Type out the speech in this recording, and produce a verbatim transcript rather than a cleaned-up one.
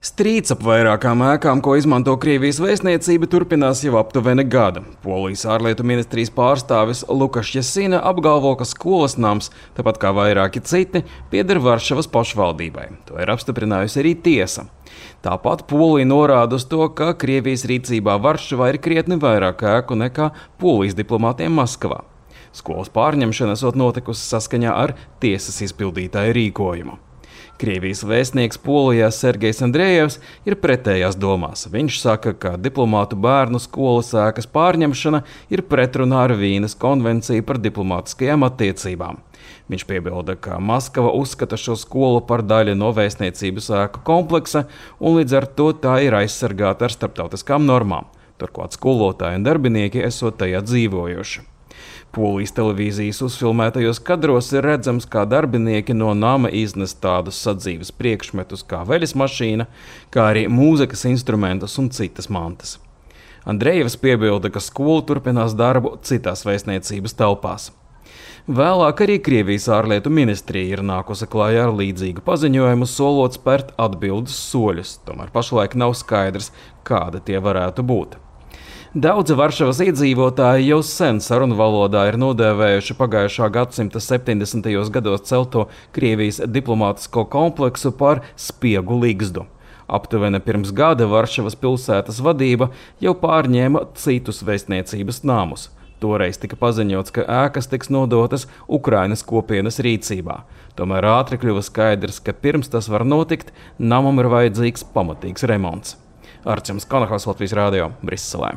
Strīds ap vairākām ēkām, ko izmanto Krievijas vēstniecība, turpinās jau aptuveni gada. Polijas ārlietu ministrijas pārstāvis Lukaš Jasina apgalvo, ka skolas nams, tāpat kā vairāki citi, pieder Varšavas pašvaldībai. To ir apstiprinājusi arī tiesa. Tāpat Polija norāda uz to, ka Krievijas rīcībā Varšavā ir krietni vairāk ēku nekā Polijas diplomātiem Maskavā. Skolas pārņemšana esot notikusi saskaņā ar tiesas izpildītāju rīkojumu. Krievijas vēstnieks Polijā Sergejs Andrejevs ir pretējās domās. Viņš saka, ka diplomātu bērnu skolas ēkas pārņemšana ir pretrunā ar Vīnes konvenciju par diplomātiskajām attiecībām. Viņš piebilda, ka Maskava uzskata šo skolu par daļu no vēstniecības ēku kompleksa un līdz ar to tā ir aizsargāta ar starptautiskām normām. Turklāt skolotāji un darbinieki esot tajā dzīvojoši. Polijas televīzijas uzfilmētajos kadros ir redzams, kā darbinieki no nama iznes tādus sadzīves priekšmetus kā veļas mašīna, kā arī mūzikas instrumentus un citas mantas. Andrejevs piebilda, ka skola turpinās darbu citās vēstniecības telpās. Vēlāk arī Krievijas ārlietu ministrija ir nākusi klājā ar līdzīgu paziņojumu, solot spērt atbildes soļus, tomēr pašlaik nav skaidrs, kādi tie varētu būt. Daudzi Varšavas iedzīvotāji jau sen sarunu valodā ir nodēvējuši pagājušā gadsimta septiņdesmitajos gados celto Krievijas diplomātisko kompleksu par spiegu ligzdu. Aptuveni pirms gada Varšavas pilsētas vadība jau pārņēma citus vēstniecības namus. Toreiz tika paziņots, ka ēkas tiks nodotas Ukrainas kopienas rīcībā. Tomēr ātri kļuva skaidrs, ka pirms tas var notikt, namam ir vajadzīgs pamatīgs remonts. Arčuns Kanahals, Latvijas radio, Briselē.